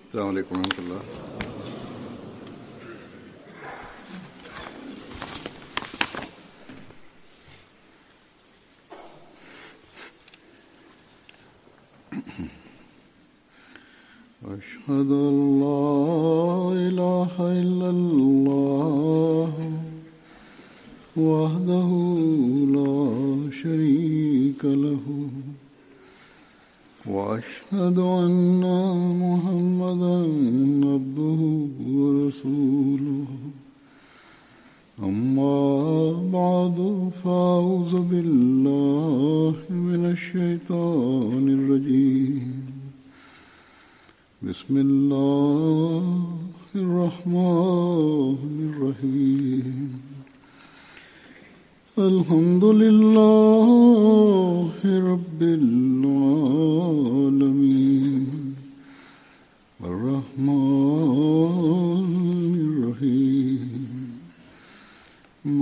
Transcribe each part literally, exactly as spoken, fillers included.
السلام علیکم ورحمۃ اللہ۔ أشهد أن لا إله إلا الله وحده لا شريك له وأشهد أن محمدا عبده ورسوله أما بعد فأعوذ بالله من الشيطان الرجيم بسم الله الرحمن الرحيم الحمد لله رب العالمين الرحمن الرحيم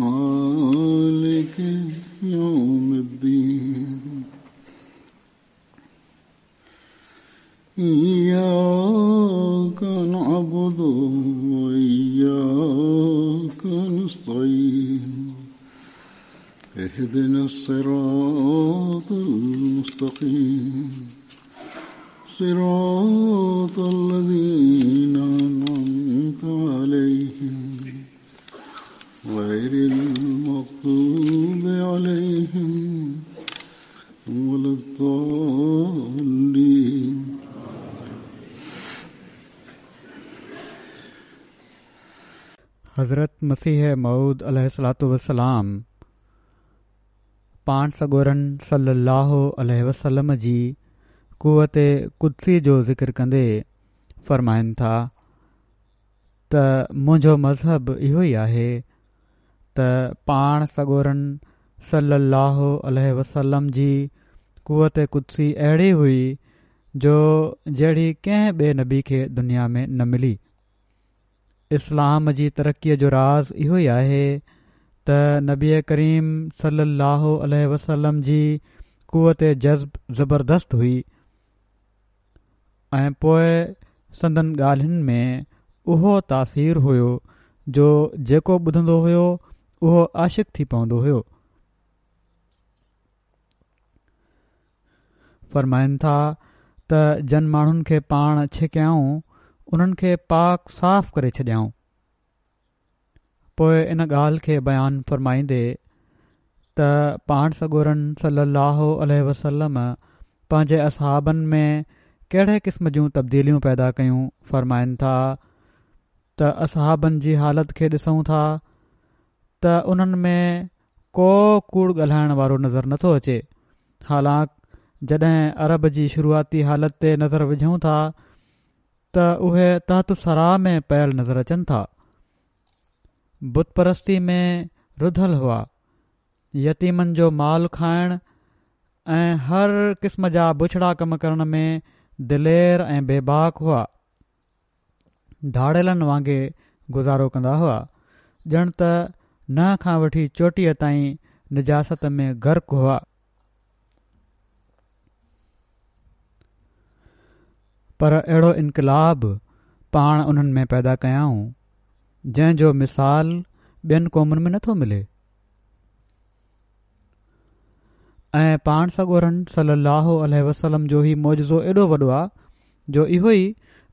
مالك يوم الدين إياك نعبد وإياك نستعين اهدنا الصراط المستقيم صراط الذين أنعمت عليهم غير المغضوب عليهم ولا الضالين۔ حضرت مسيح موعود عليه الصلاة والسلام پاڻ سڳورن صلي الله عليه وسلم جي قوت قدسي جو ذڪر ڪندي فرمائن ٿا ته منهنجو مذهب اهو ئي آهي ته پاڻ سڳورن صلي الله عليه وسلم جي قوت قدسي اهڙي هئي جو جهڙي ڪنهن ٻئي نبي کي دنيا ۾ نه ملي۔ اسلام جي ترقيءَ جو راز اهو ئي آهي ته نبي ڪريم صلي الله عليه وسلم جي قوت جذب زبردست هئي ۽ پوءِ سندن ڳالهين ۾ اهو تاثير هيو جو جيڪو ٻڌندو هيو اهو عاشق ٿي پوندو هيو۔ فرمائن ٿا ته جن ماڻهن کي پاڻ ڇڪيائون انهن کي پاڪ صاف ڪري ڇڏيائون۔ پوءِ ان ڳالهه کي بيان فرمائيندي ته پاڻ سڳورن صلي الله عليه وسلم پنهنجي اصحابن ۾ ڪهڙي قسم جون تبديليون پيدا ڪيون، فرمائن ٿا ته اصحابن جي حالت کي ڏسون ٿا ته انهن ۾ ڪو ڪوڙ ڳالهائڻ وارو نظر نٿو اچي، حالانڪ جڏهن عرب جي شروعاتي حالت تي نظر وجهون ٿا ته اهي تحت الثريٰ ۾ پيل نظر اچن ٿا، بت پرستي ۾ رڌل هئا، يتيمن جو مال کائڻ ۽ هر قسم جا بڇڙا ڪم ڪرڻ ۾ دلير ۽ بيباڪ هئا، ڌاڙيلن وانگي گذارو ڪندا هئا، ڄڻ ته ننهن کان وٺي چوٽيءَ تائين نجاست ۾ غرق هئا۔ پر اهڙو انقلاب پاڻ انهن ۾ پيدا ڪيائون جنهن جو مثال ٻين قومن ۾ نٿو ملي۔ ۽ پاڻ سڳورن صلي الله عليه وسلم جو هي معجزو ايڏو وڏو آ جو اهو ئي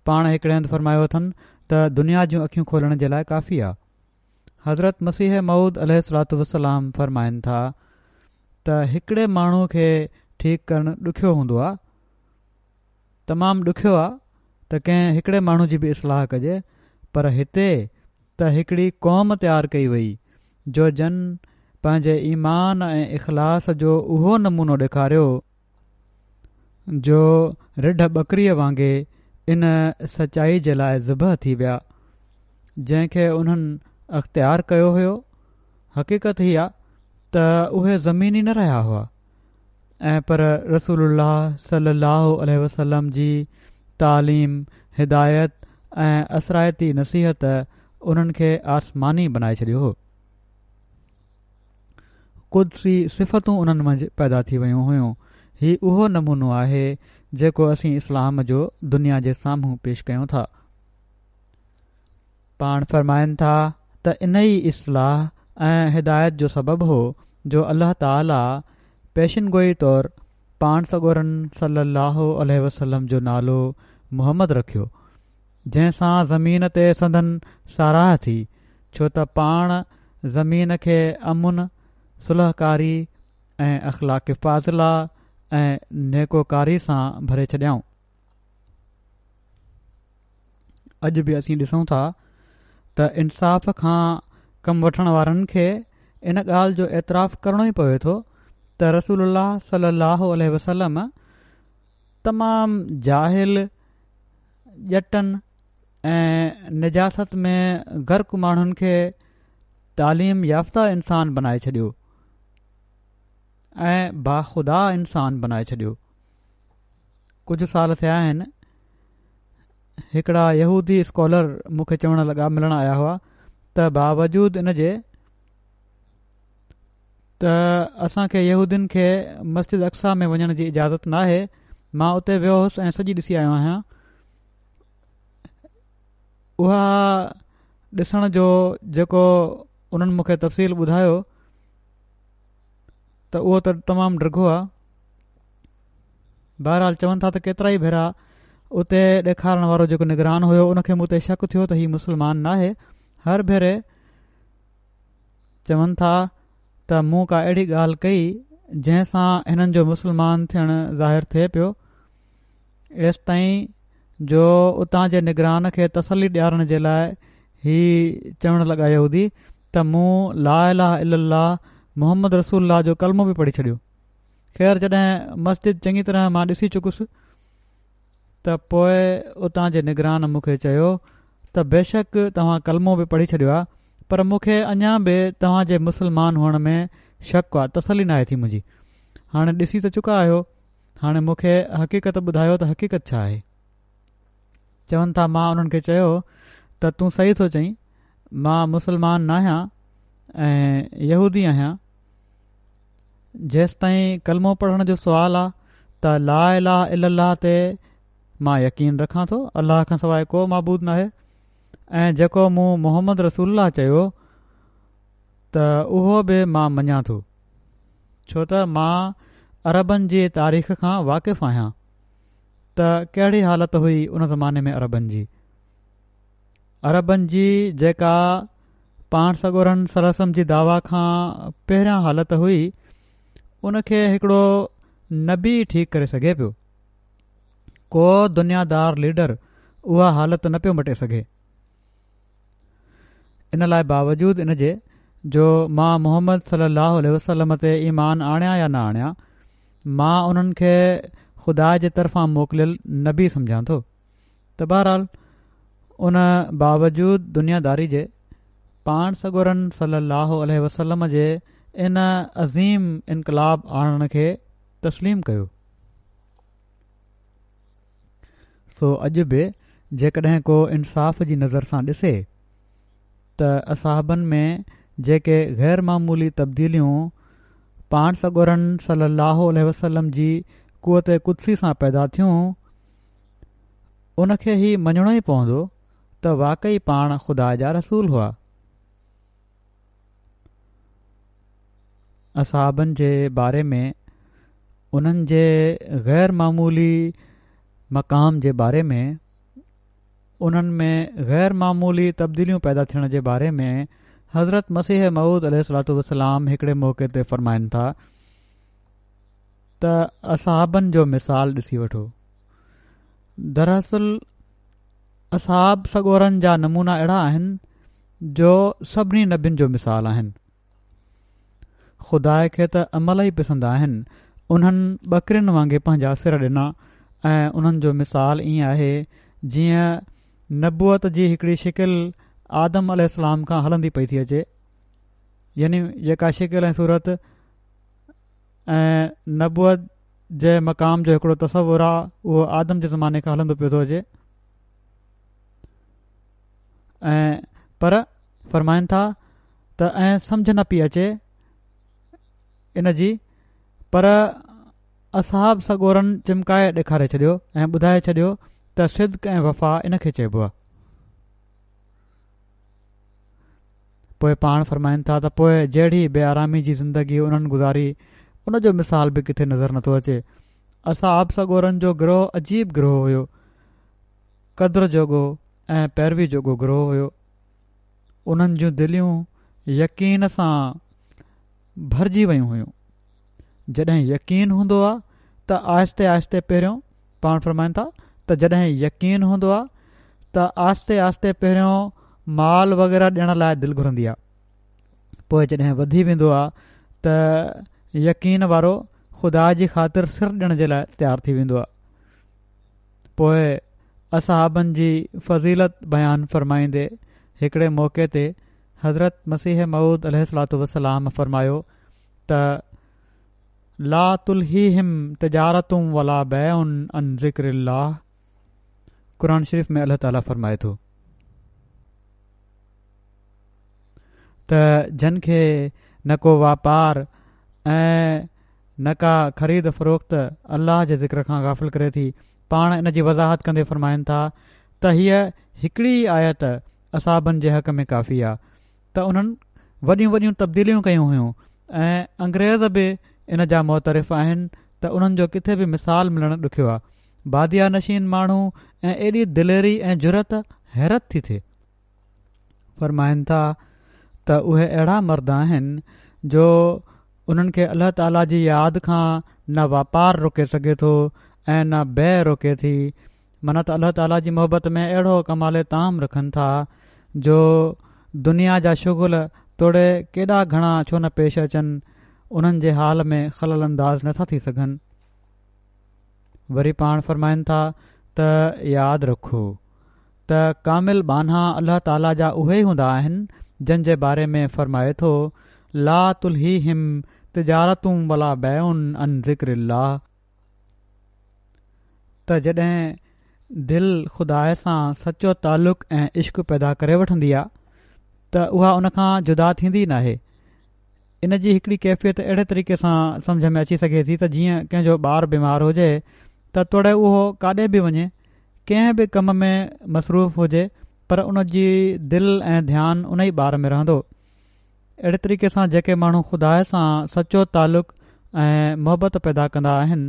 پاڻ هڪڙي هنڌ فرمايو اٿن ته دنيا جون اکيون کولڻ جي لاءِ ڪافي آ۔ حضرت مسيح موعود عليه الصلاة والسلام فرمائن ٿا ته هڪڙي ماڻهو کي ٺيڪ ڪرڻ ڏکيو هوندو آ، تمام ڏکيو آ ته ڪنهن هڪڙي ماڻهو جي به اصلاح ڪجي، پر هتي ته هڪڙي قوم تيار ڪئي وئي جو جن پنهنجي ايمان ۽ اخلاص جو اهو نمونو ڏيکاريو جو رڍ ٻڪريءَ وانگي ان سچائي جي لاءِ ذبح ٿي ويا جنهن کي انهن اختيار ڪيو هيو۔ حقيقت هي آ ته اهي زميني نه رهيا هئا ۽ پر رسول الله صلي الله عليه وسلم جي تعليم، هدايت ۽ اثرائتي نصيحت انهن کي آسماني بنائي ڇڏيو هو۔ قدسي صفتون انهن منجهه پيدا ٿي ويون هيون۔ هي اهو نمونو آهي جيڪو اسين اسلام جو دنيا جي سامهون پيش ڪيون ٿا. پاڻ فرمائن ٿا ته انهي اصلاح ۽ هدايت جو سبب هو جو الله تعاليٰ پيشن گوئي طور پاڻ سڳورن صلي الله عليه وسلم جو نالو محمد رکيو، جنهن سان زمين تي سندن ساراهه ٿي، ڇو ته پاڻ زمين کي امن، صلحڪاري ۽ اخلاق فاضله ۽ نيڪوڪاري سان ڀري ڇڏيائون. اڄ به اسين ڏسون ٿا ته انصاف کان ڪم وٺڻ وارن کي ان ڳالهه جو اعتراف ڪرڻو ئي پوي ٿو ته رسول الله صلي الله عليه وسلم تمام جاهل، ڄٽن ۽ نجاست ۾ غرق ماڻهن کي تعليم يافته انسان بنائي ڇڏيو ۽ باخدا انسان بنائي ڇڏيو. ڪجهه سال ٿيا آهن، هڪڙا يهودي اسڪالر مون کي چوڻ لڳا، ملڻ آيا هئا، ته باوجود ان جي ته اسان کي يهودين کي مسجد اقصيٰ ۾ وڃڻ جي اجازت ناهي، مان اتي ويو هوس ۽ سڄي ڏسي آيو آهيان. اها ڏسڻ جو جيڪو انهن مون کي تفصيل ٻڌايو ته اهو ته تمام ڊگهو آهي. بهرحال چون ٿا ته ڪيترائي ڀيرا اتي ڏيکارڻ وارو جيڪو نگران هيو ان کي مون تي شڪ ٿيو ته هي مسلمان ناهي. هر ڀيري چون ٿا ته مون ڪا اهڙي ڳالهه ڪئي جنهن سان هنن جو مسلمان ٿيڻ ظاهر ٿئي پيو، ايستائين جو اتان جي نگران کي تسلي ڏيارڻ جي لاء هي چوڻ لڳا يهودي ته مون لا اله الا الله محمد رسول الله جو ڪلمو به پڙهي ڇڏيو. خير جڏهن مسجد چڱي طرح مان ڏسي چڪس ته پوء اتان جي نگران مون کي چيو ته بيشڪ توهان ڪلمو به پڙهي ڇڏيو آهي، پر مون کي اڃا به توهان جي مسلمان هئڻ ۾ شڪ آهي، تسلي ناهي ٿي منهنجي. هاڻي ڏسي ته چڪا آهيو، هاڻي مون کي حقيقت ٻڌايو ته حقيقت ڇا آهي. چون ٿا مان انهن کي چيو ته تون صحيح ٿو چئين، مان مسلمان ناهيان ۽ يهودي آهيان. جيستائين ڪلمو پڙهڻ جو سوال آ ته لا اله الا الله تي مان يقين رکان ٿو، الله کان سواء ڪو معبود ناهي، ۽ جيڪو مون محمد رسول الله چيو ته اهو به مان مڃان ٿو، ڇو ته مان عربن جي تاريخ کان واقف آهيان ته ڪهڙي حالت هئي ان زماني ۾ عربن جي. عربن جي جيڪا پاڻ سڳورن صلي الله عليه وسلم جي دعويٰ کان پهريان حالت هئي، ان کي هڪڙو نبي ٺيڪ ڪري سگهي پيو. ڪو دنيادار ليڊر اها حالت نه پيو مٽي سگهي. ان لاء باوجود ان جي جو مان محمد صلي الله عليه وسلم تي ايمان آڻيان يا نه آڻيان، مان انهن کي خدا جي طرفان موڪليل نبي سمجهان ٿو. ته بهرحال ان باوجود دنياداري جي پاڻ سڳورن صلي الله عليه وسلم جي ان عظيم انقلاب آڻڻ کي تسليم ڪيو. سو اڄ به جيڪڏهن ڪو انصاف جي نظر سان ڏسي ته اصحابن ۾ جيڪي غير معمولي تبديليون پاڻ سڳورن صلي الله عليه وسلم جي قوت قدسي سان پيدا ٿيون، ان کي هي مڃڻو ئي پوندو ته واقعي پاڻ خدا جا رسول هئا. اصحابن جي باري ۾ انهن جي غير معمولي مقام جي باري ۾ انهن ۾ غير معمولي تبديليون پيدا ٿيڻ جي باري ۾ حضرت مسيح موعود عليه الصلوة والسلام هڪڙي موقعي تي فرمائن ٿا ته اصحابن جو مثال ڏسي وٺو. دراصل اصحاب سڳورن جا نمونا اهڙا آهن جو سڀني نبين جو مثال آهن. خدا کي ته عمل ئي پسند آهن. انهن ٻڪرين وانگي پنهنجا سر ڏنا ۽ انهن جو مثال ائين آهي جيئن نبوت جي هڪڙي شڪل آدم عليه السلام کان هلندي پئي ٿي اچي، يعني جيڪا شڪل ۽ صورت ۽ نبوت جي مقام جو هڪڙو تصور آ اهو آدم جي زماني کان هلندو پيو ٿو اچي. ۽ پر فرمائن ٿا ته ۽ سمجهه نه پئي اچي ان جي، پر اصحاب سڳورن چمڪائي ڏيکاري ڇڏيو ۽ ٻڌائي ڇڏيو ته صدق ۽ وفا ان کي چئبو آهي. پوءِ پاڻ فرمائن ٿا ته پوءِ جهڙي بي آرامي جي زندگي انهن گذاري ان جو مثال به ڪٿي نظر نٿو اچي. اصحاب سڳورن جو گروهه عجيب گروهه هيو، قدر جوڳو ۽ پيروي جوڳو گروهه هيو. انهن جون دليون يقين سان ڀرجي ويون هيون. جڏهن يقين هوندو آهي ته آهستي آهستي پهريون پاڻ فرمائن ٿا ته جڏهن يقين هوندو آهي ته آهستي آهستي پهريون مال وغيره ڏيڻ لاءِ دل گهرندي آهي، پوءِ جڏهن وڌي ويندو آهي ته يقين وارو خدا جي خاطر سر ڏيڻ جي لاءِ تيار ٿي ويندو آهي. پوءِ اصحابن جي فضيلت بيان فرمائيندي هڪڙي موقعي تي حضرت مسيح موعود عليه الصلوة والسلام فرمايو ته لا تلهيهم تجارة ولا بيع عن ذڪر الله. قرآن شريف ۾ الله تعاليٰ فرمائي ٿو ته جن کي نه ڪو واپار ۽ نه ڪا خريد فروخت الله جي ذڪر کان غافل ڪري ٿي. پاڻ ان جي وضاحت ڪندي فرمائن ٿا ته هيءَ هڪڙي آيت اصحابن جي حق ۾ ڪافي آهي ته انهن وڏيون وڏيون تبديليون ڪيون هيون ۽ انگريز به ان جا معترف آهن ته انهن جو ڪٿي به مثال ملڻ ڏکيو آهي. باديا نشين ماڻهو ۽ ايڏي دليري ۽ جرئت حيرت ٿي ٿئي. فرمائن ٿا ته اهي اهڙا مرد آهن جو انهن کي الله تعاليٰ جي ياد کان نه واپار روڪي سگهي ٿو ۽ نه بيع روڪي ٿي. معنيٰ ته الله تعاليٰ جي محبت ۾ اهڙو ڪمال تام رکن ٿا جو دنيا جا شغل توڙي ڪيڏا گهڻا ڇو نه پيش اچن انهن جي حال ۾ خلل انداز نٿا ٿي سگهن. وري پاڻ فرمائن ٿا ته ياد رکو ته ڪامل ٻانها الله تعاليٰ جا اهي ئي هوندا آهن جن جي باري ۾ فرمائي ٿو لا تلهيهم تجارة ولا بيع عن ذڪر الله. ته جڏهن دل خدا سان سچو تعلق ۽ عشق پيدا ڪري وٺندي آهي ته اها ان کان جدا ٿيندي ناهي. ان جي هڪڙي ڪيفيت اهڙي طريقي سان سمجهه ۾ اچي سگهي ٿي ته جيئن ڪنهن جو ٻار بيمار هجي ته توڙي اهو ڪاڏي به وڃي ڪنهن به ڪم ۾ مصروف هجي پر ان جي دل ۽ ڌيان ان ئي ٻار ۾ رهندو. اهڙي طريقي سان جيڪي ماڻهو خدا سان سچو تعلق ۽ محبت پيدا ڪندا آهن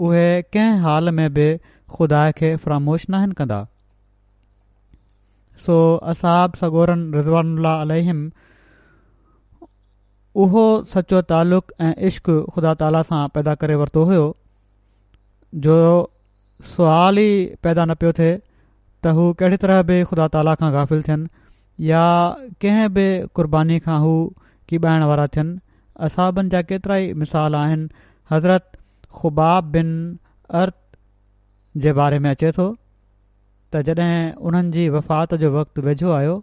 اهي ڪنهن حال ۾ به خدا کي فراموش ناهن ڪندا. سو اصحاب سڳورن رضوان الله عليهم اهو سچو تعلق ۽ عشق خدا تعاليٰ سان پيدا ڪري ورتو هيو جو سوال ئي پيدا نه پيو ٿئي ته هو ڪهڙي طرح به خدا تعاليٰ کان غافل ٿين يا ڪنهن به قرباني کان هو ڪيٻائڻ وارا ٿين. اصحابن جا ڪيترا ئي مثال آهن. حضرت خباب بن ارت جي باري ۾ اچي ٿو ته جڏهن انهن جي وفات جو وقت ويجهو آيو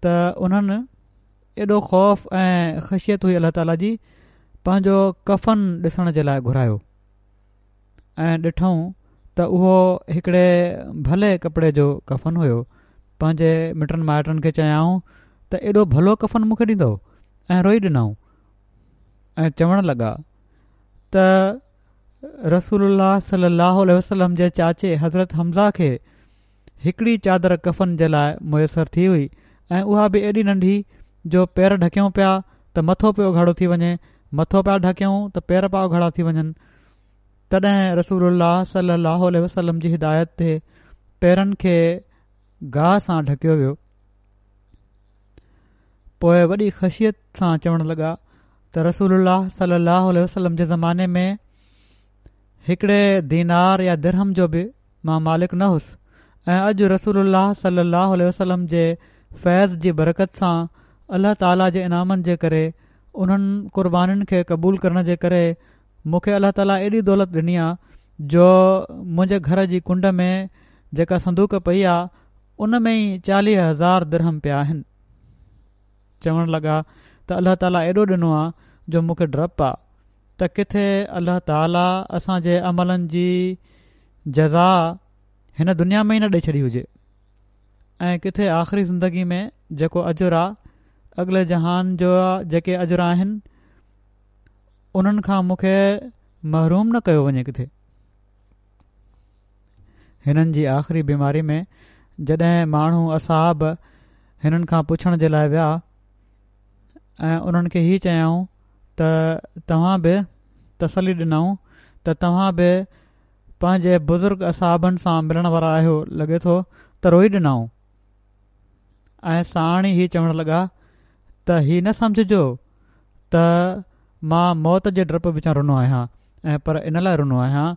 ته انهن ايڏو خوف ۽ خشيت هئي الله تعاليٰ جي پنهنجو ڪفن ڏسڻ جي لاءِ گهرايو ۽ ڏٺئون ته اهو هڪڙي ڀلي ڪپڙي جو ڪفن هيو. پنهنجي مٽن مائٽن کي چيائون ته ايڏو ڀلو ڪفن مون کي ڏيندؤ ۽ روئي ڏنائون ۽ چوڻ لڳا ته رسول الله صلي الله عليه وسلم جي چاچي حضرت حمزه کي هڪڙي چادر ڪفن جي لاءِ ميسر ٿي هئي ۽ اها به ايڏي ننڍي جو پير ڍڪيون پيا ته مٿو پيو اگهاڙو ٿي وڃي، مٿو پيا ڍڪيون ته پير پيا اگهاڙا ٿي وڃن. تڏهن رسول الله صلي الله عليه وسلم جي هدايت تي پيرن کي گاهه سان ڍڪيو ويو. پوءِ وڏي خشيت سان چوڻ لڳا ته رسول الله صلي الله عليه وسلم جي زماني ۾ هڪڙي دينار يا درهم جو به مان مالڪ نه هئس ۽ اڄ رسول الله صلي الله عليه وسلم جي فيض جي برڪت سان الله تعاليٰ جي انعامن جي ڪري انهن قربانين کي قبول ڪرڻ جي ڪري مون کي الله تعاليٰ ايڏي دولت ڏني آهي جو منهنجي گهر جي ڪنڊ ۾ جيڪا صندوق پئي آهي ان ۾ ئي چاليهه هزار درهم پيا آهن. چوڻ لڳا ته الله تعاليٰ ايڏو ڏنو آهي جو مون کي ڊپ آهي ته ڪٿي الله تعاليٰ اسان جي عملن جي جزا هن دنيا ۾ ئي نه ڏئي ڇڏي هجي ۽ ڪٿي آخري زندگي ۾ جيڪو اجر آهي اڳلي جهان جو جيڪي اجر آهن انهن کان مون کي محروم نه ڪيو وڃي ڪٿي. هنن جي آخري بيماري ۾ جڏهن ماڻهو اصحاب هنن کان پڇڻ جي لاء ويا ۽ انهن کي هي چيائون ته توهان به تسلي ڏنائون ته توهان به پنهنجي بزرگ اصحابن سان ملڻ وارا آهيو، لڳي ٿو ته روئي ڏنائون ۽ ساڻ ئي هي چوڻ لڳا ته هي نه سمجهجو ته مان موت جي ڊپ وچان رنو آهيان ۽ پر ان لاء رنو آهيان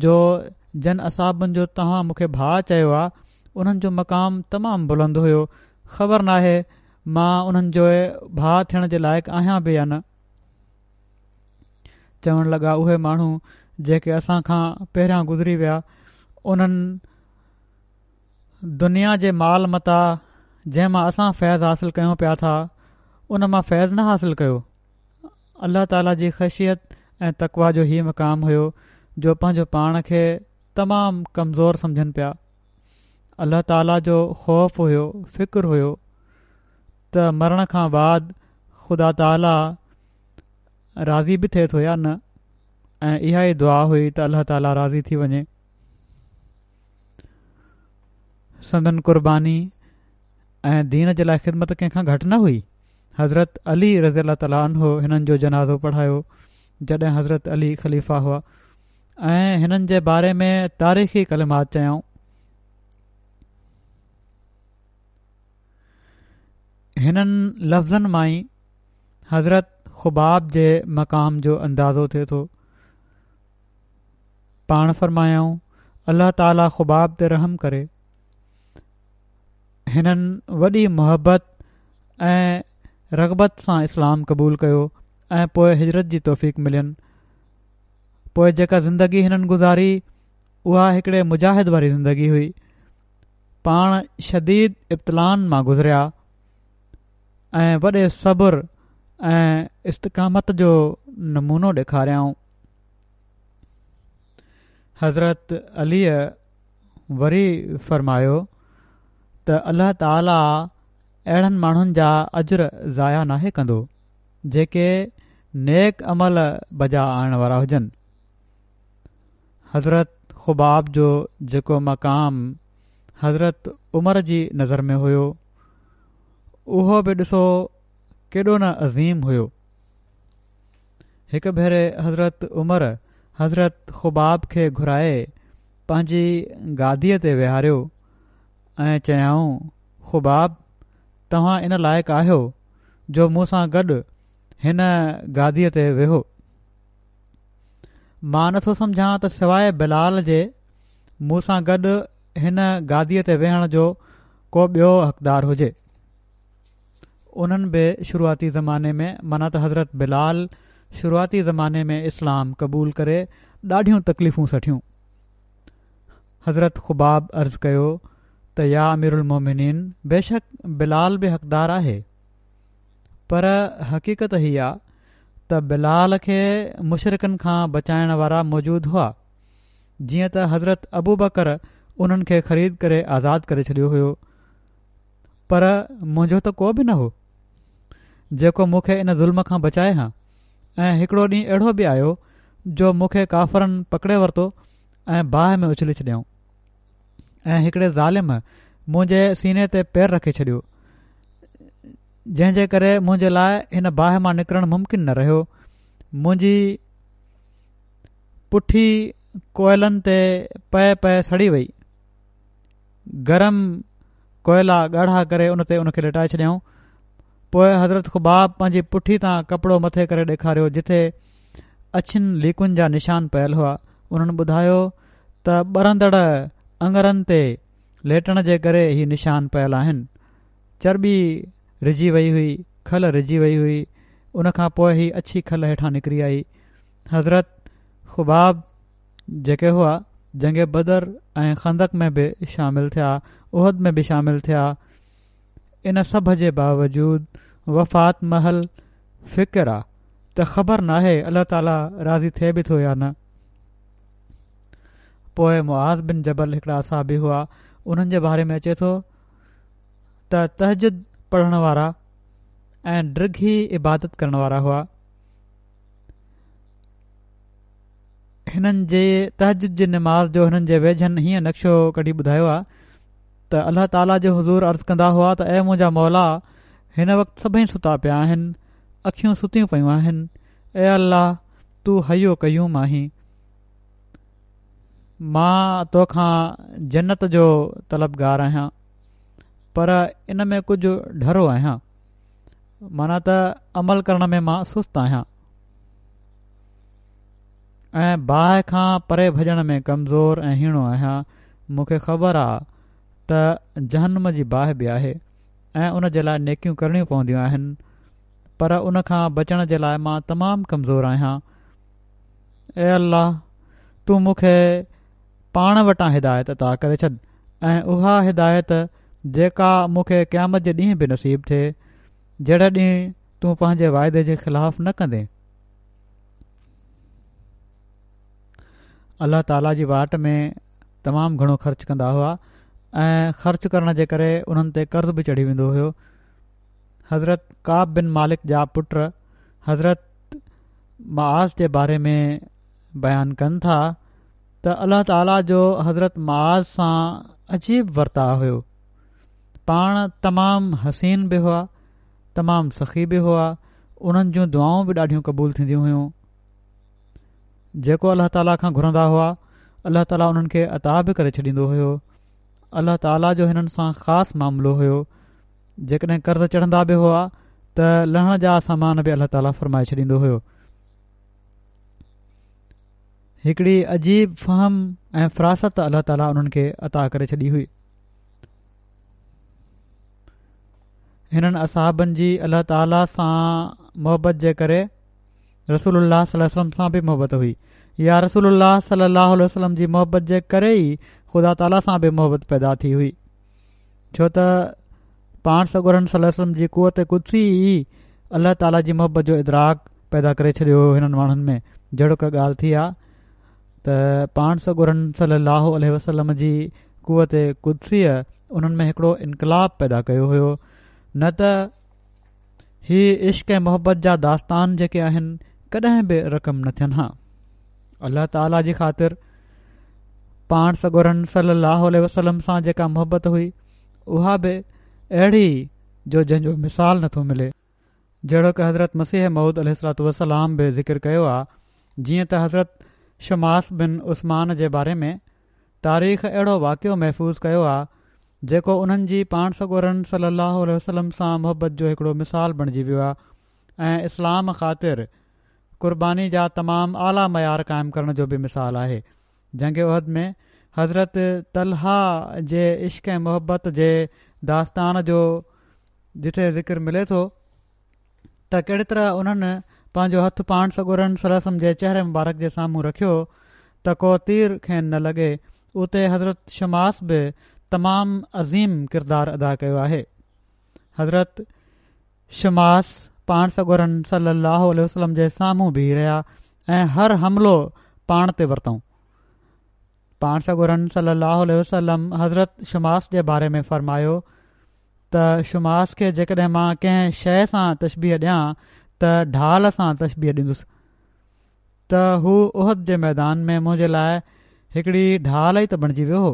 جو جن اصحابن جو توهان مون کي ڀاء چيو آهي انهن جو مقام تمام بلند هيو، خبر ناهي مان انهن جو ڀاء ٿيڻ جي لائق آهيان به يا نه. چوڻ لڳا اهي ماڻهو جيڪي اسان کان پهريان گذري ويا انهن دنيا جي مال متاع جنهن مان اسان فيض حاصل ڪيون پيا ٿا ان مان فيض نه حاصل ڪيو. الله تعاليٰ جي خشيت ۽ تقويٰ جو هي مقام هيو جو پنهنجو پاڻ کي تمام ڪمزور سمجهن پيا. الله تعاليٰ جو خوف هيو، فڪر هيو ته مرڻ کان بعد خدا تعاليٰ راضي به ٿئي ٿو يا نه، ۽ اها ئي دعا هئي ته الله تعاليٰ راضي ٿي وڃي. سندن قرباني ۽ دين جي لاء خدمت ڪنهن کان گهٽ نه هئي. حضرت علي رضي الله تعاليٰ عنه هنن جو جنازو پڙهايو جڏهن حضرت علي خليفه هئا ۽ هنن جي باري ۾ تاريخي ڪلمات چيائون. هنن لفظن مان ئي حضرت خباب جي مقام جو اندازو ٿئي ٿو. پاڻ فرمايائون الله تعاليٰ خباب تي رحم ڪري. هنن وڏي محبت ۽ رغبت سان اسلام قبول ڪيو ۽ پوء هجرت جي توفيق ملين. پوء جيڪا زندگي هنن گذاري اها هڪڙي مجاهد واري زندگي هئي. پاڻ شديد ابتلائن مان گذريا ۽ وڏي صبر ۽ استقامت جو نمونو ڏيکاريائون. حضرت علي وري فرمايو ته الله تعاليٰ اهڙن ماڻهن جا اجر ضايع ناهي ڪندو جيڪي نيڪ عمل بجا آڻڻ وارا هجن. حضرت خباب جو جيڪو مقام حضرت عمر جي نظر ۾ هيو اهو به ڏسو ڪيڏو نه عظيم هيو. هڪ ڀيري حضرت عمر حضرت خباب کي گهرائي پنهنجي گاديء تي ويهاريو ۽ چيائون خباب توهان ان لائق آهيو جو مون سان گڏ هن گاديء تي ويهو. مان نٿو سمجهان ته سواء بلال جي مون سان گڏ هن گاديء تي ويهڻ جو ڪو ٻيو حقدار هجي. انهن به شروعاتي زماني ۾ معنيٰ ته حضرت بلال شروعاتي زماني ۾ اسلام قبول ڪري ڏاڍيون تڪليفون سٺيون. حضرت خباب عرض ڪيو ته يا امير المومنين بيشڪ بلال به حقدار آهي، پر حقيقت هي آ ته بلال کي مشرڪن کان بچائڻ وارا موجود هئا، جيئن ته حضرت ابو بڪر انهن کي خريد ڪري آزاد ڪري ڇڏيو هيو، پر منهنجو ته ڪو به نه هو جيڪو مون کي ان ظلم کان بچائي ها. ۽ هڪڙو ڏينهن اهڙو به آيو جو مون کي ڪافرن پڪڙي ورتو ۽ باهه ۾ اڇلي ڇڏيائون ۽ هڪڙي ظالم منهنجي سيني تي پير رکي ڇڏيو، جنهن جي ڪري منهنجي لاء هن باهه مان نڪرڻ ممڪن نه رهيو. منهنجي پٺي ڪوئلن تي پئي پئي سڙي وئي. گرم ڪوئلا ڳاڙها ڪري ان تي ان کي لٽائي ڇڏيائون. پوءِ حضرت خباب پنهنجي پٺي تان ڪپڙو مٿي ڪري ڏيکاريو جتي اڇين ليڪن جا نشان پيل هئا. انهن ٻڌايو ته ٻرندڙ اڱرن تي ليٽڻ جي ڪري هي نشان پيل آهن. چرٻي رجي وئي هئي، کل رجي وئي هئي، ان کان پوءِ هي اڇي کل هيٺان نڪري آئي. حضرت خباب جيڪي هئا جنگ بدر ۽ خندق ۾ به شامل ٿيا، احد ۾ به شامل ٿيا. ان سڀ جي باوجود وفات مهل فڪر آ ته خبر ناهي الله تعاليٰ راضي ٿئي به ٿو يا نه. پوءِ معاذ بن جبل هڪڙا اصحابي هئا، انهن جي باري ۾ اچي ٿو ته تهجد پڙهڻ وارا ۽ ڊگهي عبادت ڪرڻ وارا هئا. هنن جي تهجد جي نماز جو هنن جي ويجهن هيئن نقشو ڪڍي ٻڌايو آهي ته الله تعاليٰ جي حضور عرض ڪندا هئا ته اي منهنجا مولا، هن وقت سڀئي ستا پيا آهن، اکيون ستيون پيون آهن، اي الله تون حي و قيوم آهين، مان توکان جنت جو طلبگار آهيان پر ان ۾ ڪجهه ڍرو آهيان، معنيٰ ته عمل ڪرڻ ۾ مان سست آهيان ۽ باهه کان پري ڀڄڻ ۾ ڪمزور ۽ هيڻو آهيان. مون کي خبر آ ته جهنم جي باهه به آهي ۽ ان جي لاء نيڪيون ڪرڻيون پونديون آهن، پر ان کان بچڻ جي لاء مان تمام ڪمزور آهيان. اي الله، تون مون کي پاڻ وٽان هدايت عطا ڪري ڇڏ ۽ اها هدايت جيڪا مون کي قيامت جي ڏينهن به نصيب ٿئي، جهڙي ڏينهن تون پنهنجي واعدي جي خلاف نه ڪندين. الله تعاليٰ جي واٽ ۾ تمام گهڻو خرچ ڪندا هئا ۽ خرچ ڪرڻ جي ڪري انهن تي قرض به چڙهي ويندو هيو. حضرت ڪعب بن مالڪ جا پٽ حضرت معاذ جي باري ۾ بيان ڪن ٿا ته الله تعاليٰ جو حضرت معاذ سان عجيب ورتاء هيو. پاڻ تمام حسين به هئا، تمام سخي به هئا، انهن جون دعائون به ڏاڍيون قبول ٿينديون هيون. جيڪو الله تعاليٰ کان گهرندا هئا الله تعاليٰ انهن کي عطا به ڪري ڇڏيندو هيو. الله تعاليٰ جو هنن سان خاص معاملو هيو. جيڪڏهن قرض چڙهندا به هئا ته لهڻ جا سامان به الله تعاليٰ فرمائي ڇڏيندو هيو. هڪڙي عجيب فهم ۽ فراست الله تعاليٰ انهن کي عطا ڪري ڇڏي هئي. هنن اصحابن جي الله تعاليٰ سان محبت جي ڪري رسول الله صلي الله عليه وسلم سان به محبت هئي، يا رسول الله صلي الله عليه وسلم جي محبت جي ڪري ئي خدا تعاليٰ سان به محبت پيدا ٿي هئي، ڇو ته پاڻ سڳورن صلي الله عليه وسلم جي قوت قدسي ئي الله تعاليٰ جي محبت جو ادراڪ پيدا ڪري ڇڏيو هو هنن ماڻهن ۾. جهڙوڪ ڳالهه ٿي آ ته پاڻ سڳورن صلي الله عليه وسلم جي قوت قدسيء انهن ۾ هڪڙو انقلاب پيدا ڪيو هيو، نه ته هي عشق ۽ محبت جا داستان جيڪي آهن ڪڏهن به رقم نه ٿين ها. الله تعاليٰ جي خاطر پاڻ سڳورن صلي الله عليه وسلم سان جيڪا محبت هئي اها به اهڙي جو جنهن جو مثال نٿو ملي. جهڙوڪ حضرت مسيح موعود عليه الصلوة والسلام به ذڪر ڪيو آ، جيئن ته حضرت شماس بن عثمان جي باري ۾ تاريخ اهڙو واقعو محفوظ ڪيو آ جيڪو انهن جي پاڻ سڳورن صلي الله عليه وسلم سان محبت جو هڪڙو مثال بڻجي ويو آ ۽ اسلام خاطر قرباني جا تمام اعليٰ معيار قائم ڪرڻ جو به مثال آهي. جنگ احد ۾ حضرت طلحه جي عشق ۽ محبت جي داستان جو جتي ذڪر ملي ٿو ته ڪهڙي طرح انهن پنهنجو هٿ پاڻ سڳورن صلي الله عليه وسلم جي چهري مبارڪ جي سامهون رکيو ته ڪو تير کين نه لڳي، اتي حضرت شماس به تمام عظيم ڪردار ادا ڪيو آهي. حضرت شماس پاڻ سڳورن صلي الله عليه وسلم جي سامهون بيهي رهيا ۽ هر حملو پاڻ تي ورتائون. پاڻ سڳورن صلي الله عليه وسلم حضرت شماس جي باري ۾ فرمايو ته شماس کي جيڪڏهن مان ڪنهن شيء سان تشبيهه ڏيان ته ڍال سان تشبيهه ڏيندس ته هو احد جي ميدان ۾ منهنجي لاء هڪڙي ڍال ئي ته بڻجي ويو هو.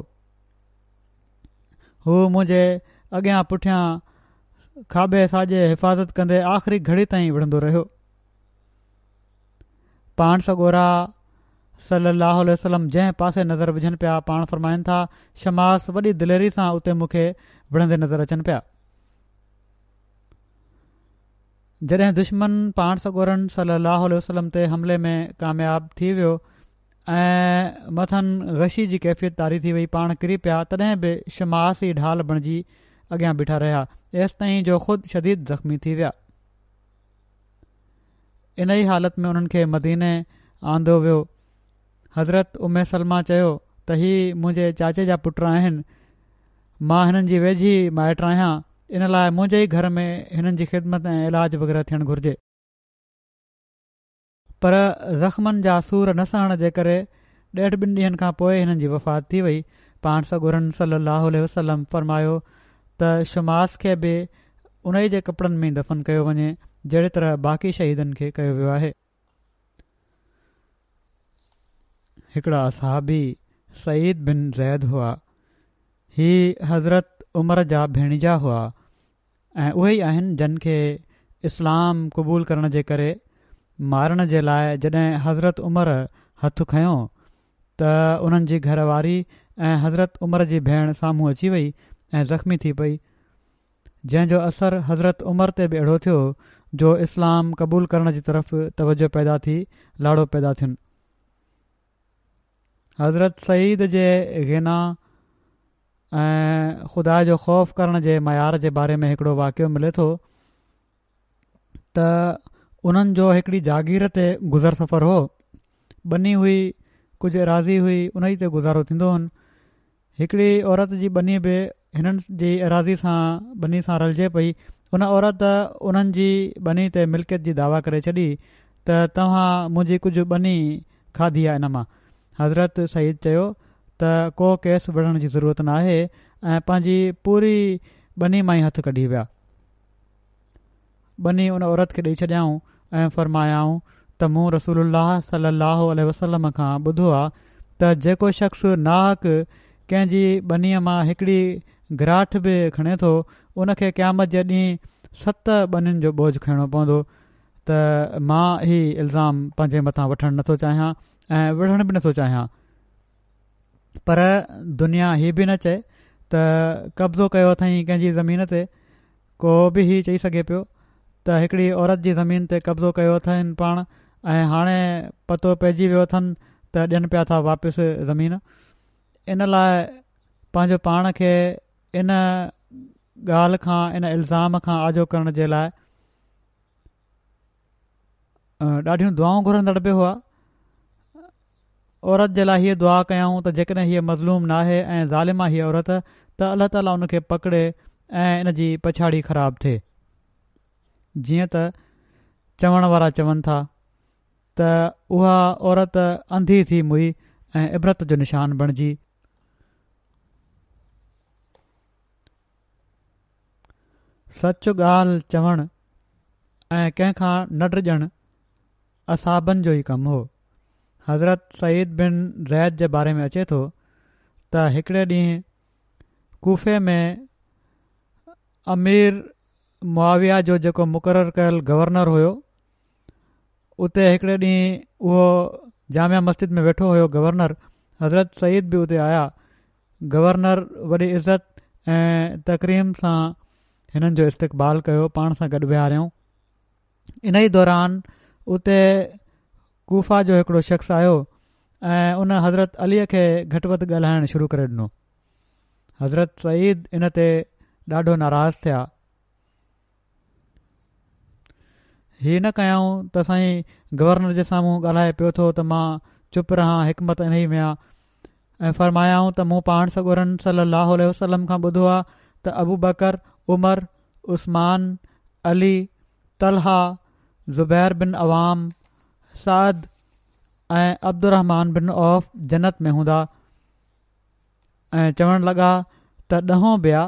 هو منهنجي اڳيان پٺيان کاٻي ساڄي حفاظت ڪندي آخري گهڙي تائين وڙهندو رهيو. پاڻ سڳورا صلي الله عليه وسلم جنهن پاسي نظر وجهن پيا، پاڻ فرمائن ٿا شماس وڏي دليري سان اتي مون کي وڙهندي نظر اچن پيا. جڏهن دشمن پاڻ سڳورن صلي الله عليه وسلم تي حملي ۾ ڪامياب ٿي ويو ۽ مٿن غشي جي ڪيفيت طاري ٿي وئي، پاڻ ڪري پيا، تڏهن به شماس ئي ڍال بڻجي اڳيان بيٺا رهيا، ايستائين جو خود شديد زخمي ٿي ويا. انهي حالت ۾ انهن کي مديني آندو ويو. حضرت ام سلمه چيو ته هي منهنجي چاچي جا پٽ آهن، مان هنن جي ويجهي مائٽ آهيان، ان لاء منهنجي ئي گهر ۾ هنن جي خدمت ۽ علاج وغيره ٿيڻ گهرجي. پر زخمن جا سور نه سهڻ جي ڪري ڏيڍ ٻن ڏينهن کان پوء هنن جي وفات ٿي وئي. پاڻ سڳورن صلي الله عليه وسلم فرمايو ته شماس کي به انهي جي ڪپڙن ۾ دفن ڪيو وڃي جهڙي طرح باقي شهيدن کي ڪيو ويو آهي. هڪڙا صحابي سعيد بن زيد هئا. هي حضرت عمر جا ڀيڻيجا هئا ۽ اهي ئي آهن جن کي اسلام قبول ڪرڻ جي ڪري مارڻ جي لاءِ جڏهن حضرت عمر هٿ کنيو ته انهن جي گهر واري ۽ حضرت عمر جي ڀيڻ سامهون اچي وئي ۽ زخمي ٿي پئي، جنهن جو اثر حضرت عمر تي به اهڙو ٿيو جو اسلام قبول ڪرڻ جي طرف توجه پيدا ٿي، لاڙو پيدا ٿين. حضرت سعيد جي غنا ۽ خدا جو خوف ڪرڻ جي معيار جي باري ۾ هڪڙو واقعو ملي ٿو ته انهن جو هڪڙي جاگير تي گذر سفر هو. ٻني هئي، ڪجهه اراضي هئي، انهي تي گذارو ٿيندو هن. هڪڙي عورت جي ٻني به هنن جي اراضي سان ٻني سان رلجي پئي. ان عورت انهن جي ٻني تي ملڪيت جي دعويٰ ڪري ڇڏي ته توهان منهنجي ڪجهه ٻني کاڌي آهي ان مان. حضرت سعيد چيو ته ڪو ڪيس وڙهڻ جي ضرورت ناهي ۽ پنهنجي پوري ٻني مان ئي هٿ ڪڍي ويا. ٻني ان عورت کي ڏئي ڇڏيائون ۽ فرمايائون ته مون رسول الله صلي الله عليه وسلم کان ٻڌو آ ته جيڪو شخص ناحق ڪنهن جي ٻنيءَ مان هڪڙي گراٺ به کڻي ٿو ان کي قيامت جي ڏينهن ست ٻنين جو بوجه کڻڻو پوندو ته مان هي الزام پنهنجي مٿان وٺڻ نٿو چاهيان ۽ وڙهڻ به نٿو چاهيان، پر دنيا هي به نه چئي ته قبضو ڪيو اٿئي ڪنهن جي زمين تي. ڪو به هي چئي سگهي پيو ته هڪڙي عورت جي زمين تي قبضو ڪيو اٿن پاڻ ۽ هاڻي پتو پئجي ويو اٿن ته ڏين پيا ٿا واپس زمين. ان لاءِ پنهنجو پاڻ کي ان ڳالهه کان، ان الزام کان آجو ڪرڻ جي لاءِ ڏاڍيون دعائون گهرندڙ به هئا. عورت جي لاءِ هيءَ دعا ڪيائون ته جيڪڏهن هيءَ مظلوم ناهي ۽ ظالم آهي هيءَ عورت ته الله تعاليٰ ان کي پڪڙي ۽ ان جي پڇاڙي خراب ٿئي. جيئن ته چوڻ وارا چون ٿا ته اها عورت انڌي ٿي مئي ۽ عبرت جو نشان بڻجي. سچ ڳالهه چوڻ ۽ ڪنهن کان نه ڊڄڻ اصحابن جو ئي ڪم هو. حضرت سعيد بن زيد جي باري ۾ اچي ٿو ته هڪڙي ڏينهن ڪوفي ۾ امير معاويه جو جيڪو مقرر ڪيل گورنر هيو، اتي هڪڙي ڏينهن اهو جامع مسجد ۾ ويٺو هيو گورنر. حضرت سعيد به اتي آيا. گورنر وڏي عزت ۽ تڪريم سان هنن جو استقبال ڪيو، پاڻ سان گڏ ويهاريائون. ان ئي دوران اتي ڪوفه جو هڪڙو شخص آيو ۽ ان حضرت علي کي گهٽ وڌ ڳالهائڻ شروع ڪري ڏنو. حضرت سعيد ان تي ڏاڍو ناراض ٿيا. هي نه ڪيائون ته سائين گورنر جي سامهون ڳالهائي پيو ٿو ته مان چپ رهان، حڪمت انهي ۾ آ. ۽ فرمايائون ته مون پاڻ سڳورن صلي الله عليه وسلم کان ٻڌو آ ته ابو بڪر، عمر، عثمان، علي، طلحه، زبير بن عوام، سعد ۽ عبدالرحمان بن عوف جنت ۾ هوندا. ۽ چوڻ لڳا ته ڏهون به آ،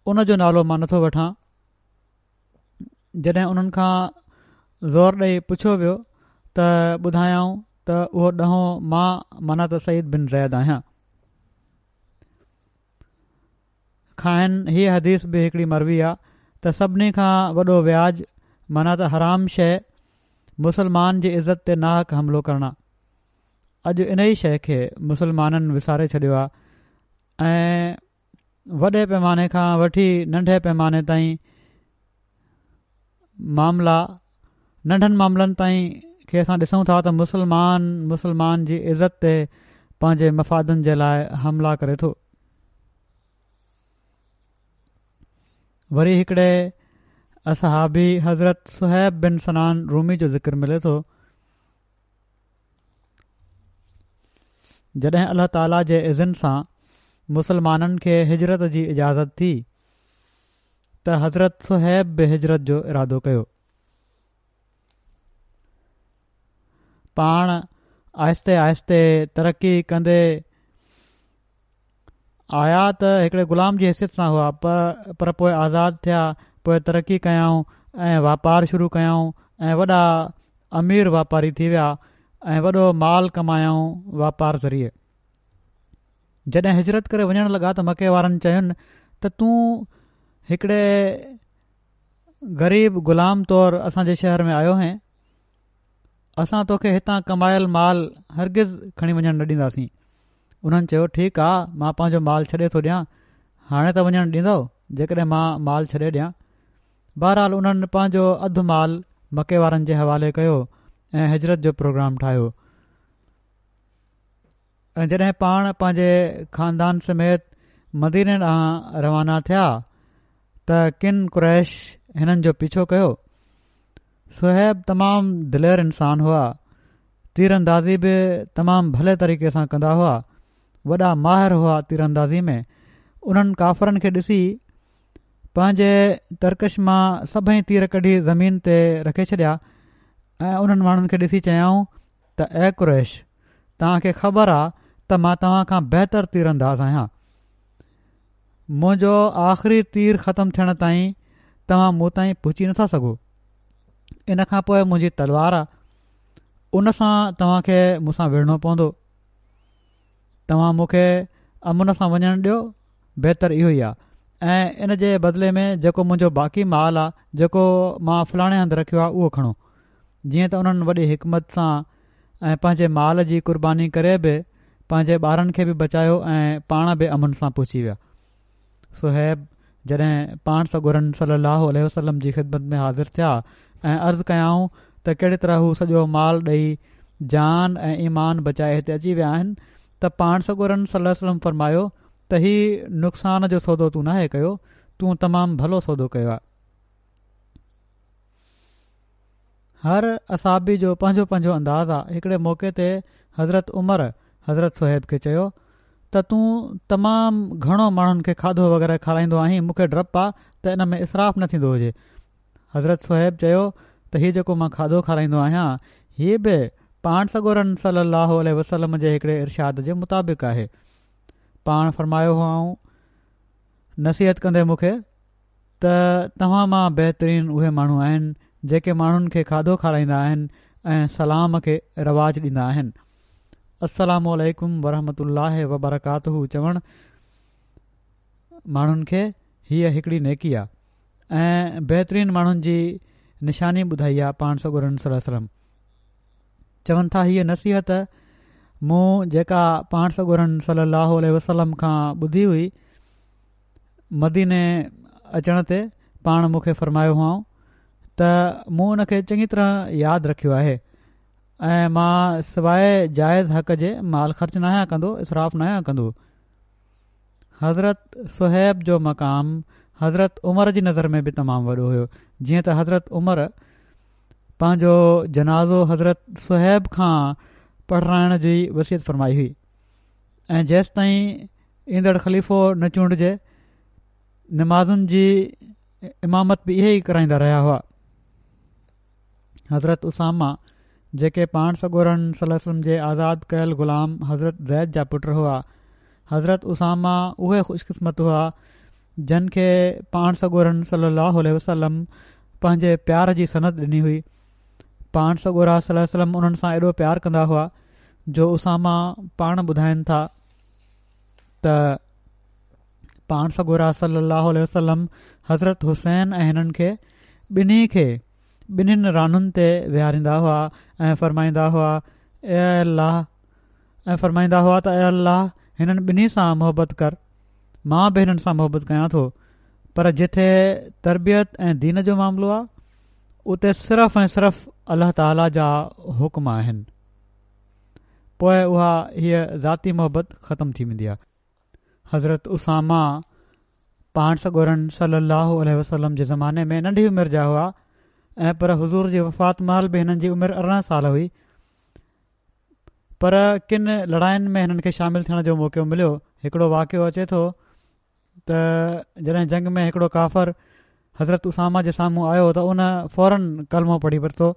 ان جو نالو مان نٿو وٺان. جڏهن انهن کان زور ڏئي پڇيو ويو ته ٻڌايائون ته اهو ڏهون مان معنيٰ ته سعيد بن زيد آهيان. کانئن هيءَ حديث به هڪڙي مروي آ ته سڀني کان وڏو وياج معنيٰ ته حرام شيءِ مسلمان جي عزت تي ناحق حملو ڪرڻ آ. اڄ انهي شيءِ کي مسلمانن وساري ڇڏيو آ ۽ وڏي پيماني کان وٺي ننڍي پيماني تائين معاملا، ننڍن معاملن تائين کي اسان ڏسون ٿا ته مسلمان مسلمان جي عزت تي پنهنجي مفادن جي لاءِ حملا ڪري ٿو. وري هڪڙي اصحابي حضرت صهيب بن سنان رومي جو ذڪر ملي ٿو. جڏهن الله تعاليٰ جي اذن سان مسلمانن کي هجرت جي اجازت ٿي ته حضرت صهيب به هجرت جو ارادو ڪيو. پاڻ آهستي آهستي ترقي ڪندي آيا ته هڪڙي غلام جي حيثيت سان هئا، پر، پر پوءِ آزاد ٿيا، پوءِ ترقي ڪيائون ۽ واپار شروع ڪيائون ۽ وڏا امير واپاري ٿي ويا ۽ وڏو مال ڪمايائون واپار ذريعي. جڏهن هجرت ڪري وڃڻ لڳا ته مڪي وارن چين ته تون هڪڙي غريب غلام طور اسان جي شهر ۾ آيو هئين، اسان توکي هتان ڪمايل مال هرگز کڻي وڃڻ نه ڏينداسين. انهن چيو ٺيڪ آ، مان پنهنجو مال ڇڏي ٿو ڏيان، هاڻي ته وڃڻ ڏيندؤ جيڪڏهن مان مال ڇڏي ڏيان. بهرحال انهن پنهنجو اڌ مال مڪي وارن جي حوالي ڪيو ۽ هجرت جو پروگرام ٺاهيو. ۽ جڏهن پاڻ پنهنجي خاندان سميت مديني ڏانهن روانا ٿيا ته ڪن قريش هنن جو پيڇو ڪيو. صهيب تمام دلير انسان هئا، تير اندازي به تمام ڀلي طريقي سان ڪندا هئا، وڏا ماهر هئا تير اندازي ۾. انهن ڪافرن کي ڏسي پنهنجي ترڪش مان سڀئي تير ڪڍي زمين تي رکي ڇڏيا ۽ انهن ماڻهن کي ڏسي چيائون ته اي قريش، توهان کي خبر آ ته مان توهان کان بهتر تير انداز آهيان، منهنجو آخري تير ختم ٿيڻ تائين توهان مون تائين پهچي نٿا سگهو. ان کان پوءِ منهنجي تلوار آ، ان سان توهان کي مون سان وڙهڻو پوندو. توهان مون کي امن سان وڃڻ ڏيو، بهتر اهو ئي آ، ۽ ان جي بدلي ۾ جيڪو منهنجو باقي مال آ جيڪو مان فلاڻي هنڌ رکيو آ اهو کڻو. جيئن ته انهن وڏي حڪمت سان ۽ پنهنجي مال جي قرباني ڪري به پنهنجي ٻارن کي به بچايو ۽ پاڻ به امن سان پهچي ويا. صهيب جڏهن پاڻ سڳورن صلي الله عليه وسلم جي خدمت ۾ حاضر ٿيا ۽ عرض ڪيائون ته ڪهڙي طرح هو سڄو مال ڏئي جان ۽ ايمان بچائي هتي اچي ويا آهن ته پاڻ سڳورن صلي الله عليه وسلم فرمايو ته هي نقصان جو سودو تون ناهي ڪيو، تون تمام ڀلو سودو ڪيو آهي. هر اصحابي جو پنهنجو پنهنجو انداز آ. هڪڙي موقعي تي حضرت عمر حضرت صهيب کي چيو ته تون تمام گهڻو ماڻهن کي کاڌو وغيره کارائيندو آهين، مون کي ڊپ آ ته ان ۾ اسراف نه ٿيندو هجي. حضرت صهيب چيو ته هي جيڪو مان کاڌو کارائيندو آهيان هي به پاڻ سڳورن صلي الله عليه وسلم جي هڪڙي ارشاد جي مطابق آهي. پاڻ فرمايو هئائون نصيحت ڪندي مون کي ته توهان مان بهترين اهي ماڻهو آهن جيڪي ماڻهن کي کاڌو کارائيندا آهن ۽ سلام کي رواج ڏيندا آهن. السلام عليڪم ورحمة الله وبرڪاته چوڻ ماڻهن کي هيءَ هڪڙي نيڪي آ ۽ بهترين ماڻهن جي نشاني ٻڌائي آ پاڻ سڳورن صلي الله عليه وسلم. چون ٿا هيءَ نصيحت مون جيڪا پاڻ سڳورن صلي الله عليه وسلم کان ٻڌي هئي، مديني اچڻ تي پاڻ مون کي فرمايو هئائون ته مون ان کي چڱي طرح ياد رکيو آهي ۽ مان سواءِ جائز حق جي مال خرچ ناهيان ڪندو، اسراف ناهيان ڪندو. حضرت صهيب جو مقام حضرت عمر جي نظر ۾ به تمام وڏو هيو، جيئن ته حضرت عمر پنهنجو جنازو حضرت صهيب کان پڙهرائڻ جي وصيت فرمائي هئي ۽ جيستائين ايندڙ خليفو نه چونڊجي نمازن جي امامت به اهي ئي ڪرائيندا رهيا هئا. حضرت اسامه جيڪي پاڻ سڳورن صلي الله عليه وسلم جي آزاد ڪيل غلام حضرت زيد جا پٽ هئا، حضرت اسامه اهي خوشقسمت هئا جن کي پاڻ سڳورن صلي الله عليه وسلم پنهنجي پيار جي سند ڏني هئي. پاڻ سڳورا صلي الله عليه وسلم انهن سان ايڏو پيار ڪندا هئا جو اسامه پاڻ ٻڌائن ٿا ته پاڻ سڳورا صلي الله عليه وسلم حضرت حسين ۽ هنن کي ٻنهي کي ٻنهين رانن تي ويهاريندا هئا ۽ فرمائيندا هئا اي الله، ۽ فرمائيندا هئا ته اي الله هنن ٻنهي سان محبت ڪر، مان به هنن سان محبت ڪيان ٿو، پر جٿي تربيت ۽ دين جو معاملو آ اتي صرف ۽ صرف الله تعاليٰ جا حڪم آهن، پوءِ اها هيءَ ذاتي محبت ختم ٿي ويندي آ. حضرت اسامه پاڻ سڳورن صلي الله عليه وسلم جي زماني ۾ ننڍي عمر جا هئا ۽ پر حضور جي وفات مهل به هنن جي عمر ارڙهن سال هئي، پر ڪن لڙاين ۾ هنن کي شامل ٿيڻ جو موقعو مليو. هڪڙو واقعو اچي ٿو ته جڏهن جنگ ۾ هڪڙو ڪافر حضرت اسامه جي سامهون آيو ته ان فورن ڪلمو پڙهي ورتو،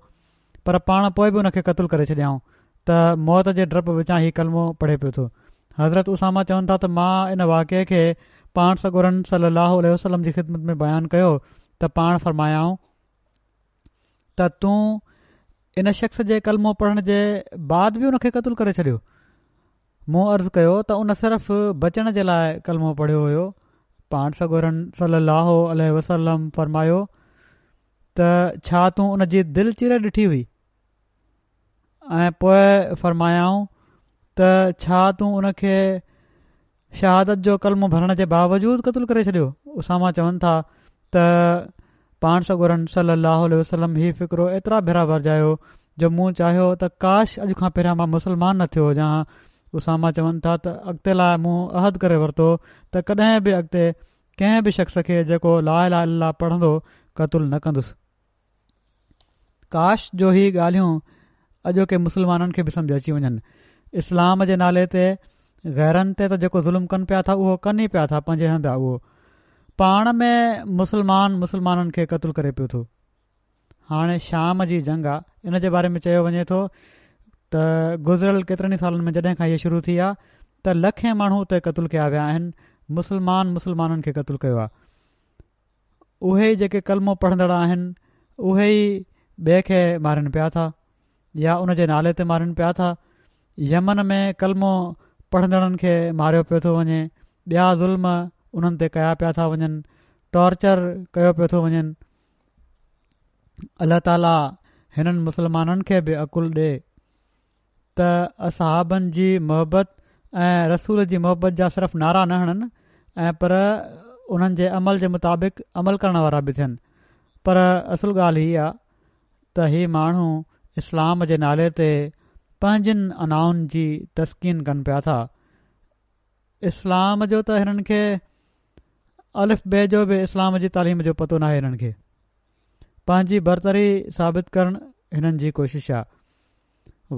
پر پاڻ پوءِ به ان کي قتل ڪري ڇڏيائون ته موت جي ڊپ وچان هي ڪلمو پڙهي پيو ٿو. حضرت اسامه چون ٿا ته مان ان واقعي کي پاڻ سڳورن صلي الله عليه وسلم جي خدمت ۾ بيان ڪيو ته پاڻ فرمايائون ته تون ان شخص جي ڪلمو پڙهڻ جي بعد به ان کي قتل ڪري ڇڏيو. مون عرض ڪيو ته ان صرف بچڻ جي لاء ڪلمو پڙهيو هيو. پاڻ سڳورن صلي الله عليه وسلم فرمايو ته ڇا تون ان جي دل چيري ڏٺي هئي؟ ۽ پوء فرمايائون ته ڇا تون ان کي شهادت جو ڪلمو ڀرڻ جي باوجود قتل ڪري ڇڏيو؟ اسامه چون ٿا ته پاڻ سڳورن صلي الله عليه وسلم هي فقرو ايترا ڀيرا ورجايو جو مون چاهيو ته ڪاش اڄ کان پهريان مان مسلمان نه ٿيو هجان ها. اسامه چون ٿا ته اڳتي لاء مون عهد ڪري ورتو ته ڪڏهن به اڳتي ڪنهن به شخص کي جيڪو لا اله الا الله پڙهندو قتل نه ڪندس. ڪاش جو هي ڳالهيون اڄوڪي مسلمانن کي به سمجهه اچي وڃن. اسلام جي نالي تي غيرن تي ته جيڪو ظلم ڪن پيا ٿا اهو ڪن ئي پيا ٿا پنهنجي هنڌ اهو پاڻ ۾ مسلمان مسلمانن کي قتل ڪري پيو ٿو. هاڻي شام جي جنگ آ ان جي باري ۾ چيو وڃي ٿو ته گذريل ڪيترن ئي سالن ۾ جڏهن کان هيء شروع ٿي آ ته لکين ماڻهو اتي قتل ڪيا ويا آهن. مسلمان مسلمانن کي قتل ڪيو آ. اهي ئي جيڪي ڪلمو پڙهندڙ آهن اهي ئي ٻئي کي مارين پيا ٿا يا ان جي نالي تي مارين پيا ٿا. يمن ۾ ڪلمو پڙهندڙن کي ماريو پيو ٿو وڃي، ٻيا ظلم انهن تي ڪيا پيا ٿا وڃن، ٽارچر ڪيو پيو ٿو وڃن. الله تعاليٰ هنن مسلمانن کي به عقل ڏي ته اصحابن جي محبت ۽ رسول جي محبت جا صرف نعرا نه هڻن ۽ پر انهن جي عمل جي مطابق عمل ڪرڻ وارا به ٿين. پر اصل ڳالهه هي آ ته هي ماڻهو اسلام جي نالي تي پنهنجن انائن جي تسڪين ڪن پيا ٿا. اسلام جو ته هنن کي الف بي جو به اسلام جي تعليم جو پتو ناهي. هنن کي پنهنجي برتري ثابت ڪرڻ هنن جي ڪوشش آ.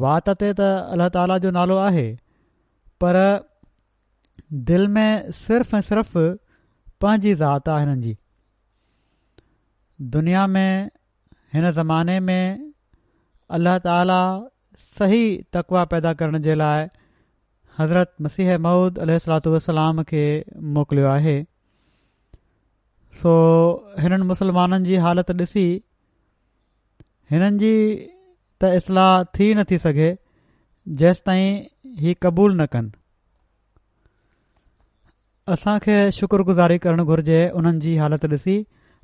وات تي ته الله تعاليٰ جو نالو آهي پر دل ۾ صرف ۽ صرف پنهنجي ذات آ هنن جي. دنيا ۾ هن زماني ۾ الله تعاليٰ صحيح تقويٰ پيدا ڪرڻ جي لاء حضرت مسيح موعود عليه الصلوة والسلام کي موڪليو آهي. سو هنن مسلمانن جي حالت ڏسي هنن جي ته اصلاح ٿي نٿي سگهي جيستائين هي قبول نه ڪن. اسان کي شڪر گذاري ڪرڻ گهرجي انهن جي حالت ڏسي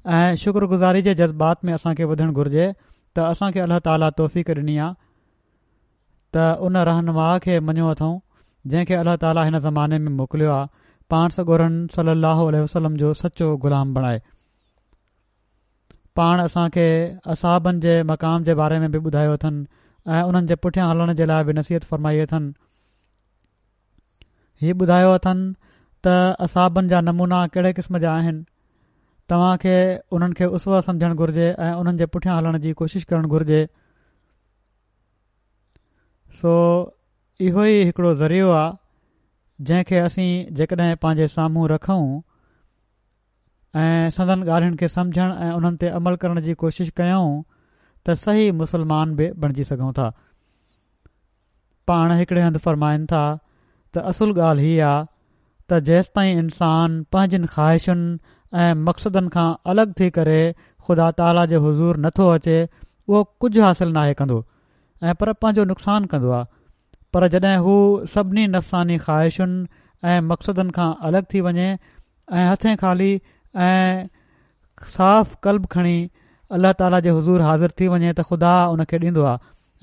۽ شڪر گذاري جي جذبات ۾ اسان کي وڌڻ گهرجي ته اسان کي الله تعاليٰ توفيق ڏني آ ته ان رهنما کي مڃيو اٿئون جنهن کي الله تعاليٰ هن زماني ۾ موڪليو آ، پاڻ سڳورن صلي الله عليه وسلم جو سچو غلام بڻائي. پاڻ اسان کي اصحابن جي مقام جي باري ۾ به ٻڌايو اٿن ۽ انهن جي پٺيان هلڻ جي لاء به نصيحت فرمائي اٿن. هي ٻڌايو اٿن ته اصحابن جا نمونا ڪهڙي قسم جا آهن. توهان کي انهن کي اسوه سمجهڻ گهرجي ۽ انهن جي پٺيان هلڻ جي ڪوشش ڪرڻ گهرجي. سو اهو ئي هڪڙو ذريعو آ جنهن کي اسين جيڪڏهن پنهنجي سامهون رکون ۽ سندن ڳالهين کي سمجهڻ ۽ انهن تي عمل ڪرڻ جي ڪوشش ڪيون ته صحيح مسلمان به بڻجي سگهون ٿا. پاڻ هڪڙي هنڌ فرمائن ٿا ته اصل ڳالهه هي آ ته جيستائين انسان پنهنجين خواهشن ۽ مقصدن کان الڳ ٿي ڪري خدا تعاليٰ جي حضور نه ٿو اچي اهو ڪجهه حاصل ناهي ڪندو ۽ پر پنهنجو نقصان ڪندو آ. پر جڏهن هو سڀني نفساني خواهشن ۽ مقصدن کان الڳ ٿي وڃي ۽ هٿين خالي ۽ صاف قلب کڻي الله تعاليٰ جي حضور حاضر ٿي وڃي ته خدا ان کي ڏيندو آ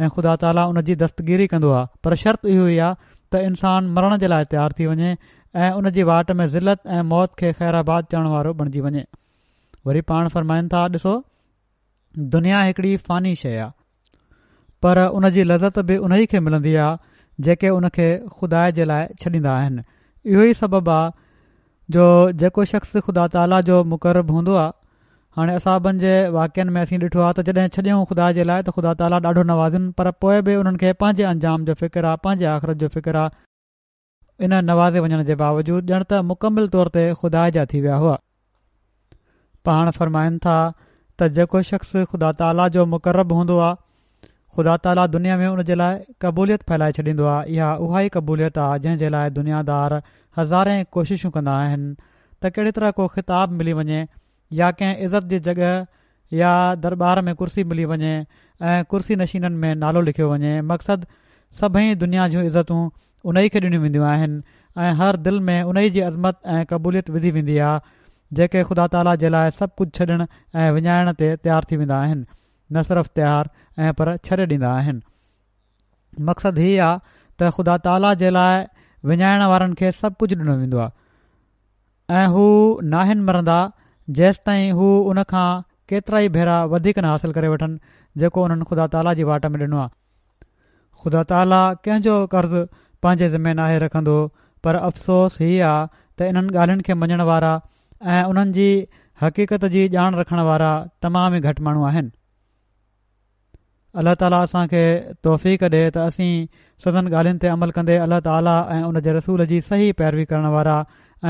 ۽ خدا تعاليٰ ان جي دستگيري ڪندو آ. پر شرط اهو ئي آ ته انسان مرڻ جي لاء تيار ٿي وڃي ۽ ان جي واٽ ۾ ذلت ۽ موت کي خير آباد چوڻ وارو بڻجي وڃي. وري پاڻ فرمائن ٿا، ڏسو دنيا هڪڙي فاني شيء آ، پر ان جي لذت به انهي کي ملندي آ جيڪي ان کي خدا جي لاء ڇڏيندا آهن. اهو ئي سبب آ جو جيڪو شخص خدا تعاليٰ جو مقرب هوندو آ، هاڻي اصحابن جي واقعن ۾ اسين ڏٺو آ ته جڏهن ڇڏيائون خدا جي لاء ته خدا تعاليٰ ڏاڍو نوازين، پر پوء به انهن کي پنهنجي انجام جو فڪر آ، پنهنجي آخرت جو فڪر آ. ان نوازي وڃڻ جي باوجود ڄڻ ته مڪمل طور تي خدا جا ٿي ويا هئا. پاڻ فرمائن ٿا ته جيڪو شخص خدا تعاليٰ جو مقرب هوندو آ، خدا تعاليٰ دنيا ۾ ان جي لاء قبوليت ڦهلائي ڇڏيندو آ. اها اها ئي قبوليت آ جنهن جي لاء دنيا دار هزارين ڪوششون ڪندا آهن ته ڪهڙي طرح ڪو خطاب ملي وڃي يا ڪنهن عزت جي جڳهه يا درٻار ۾ ڪرسي ملي وڃي ۽ ڪرسي نشينن ۾ نالو لکيو وڃي. مقصد سڀئي دنيا جون عزتون انهي کي ڏنيون وينديون آهن ۽ هر دل ۾ انهي جي عظمت ۽ قبوليت وڌي ويندي آهي جيڪي خدا تعاليٰ جي لاءِ سڀ ڪجهه ڇڏڻ ۽ وڃائڻ تي تيار ٿي ويندا آهن، نه صرف تيار ۽ پر ڇڏي ڏيندا آهن. مقصد هي آ ته خدا تعاليٰ جي لاءِ وڃائڻ وارن کي سڀ ڪجهه ڏنو ويندو آهي ۽ هو ناهن مرندا جيستائين هو ان کان ڪيترائي ڀيرا وڌيڪ نه حاصل ڪري وٺن جيڪو انهن خدا تعاليٰ جي واٽ ۾ ڏنو آهي. خدا تعاليٰ ڪنهن جو قرض پنهنجي ذمي ناهي رکندو، پر افسوس هي آ ته انهن ڳالهين کي مڃڻ وارا ۽ انهن جي حقيقت جي ڄاڻ رکڻ وارا تمام ئي گهٽ ماڻهو آهن. الله تعاليٰ اسان کي توفيق ڏي ته اسين سندن ڳالهين تي عمل ڪندي الله تعاليٰ ۽ ان جي رسول جي صحيح پيروي ڪرڻ وارا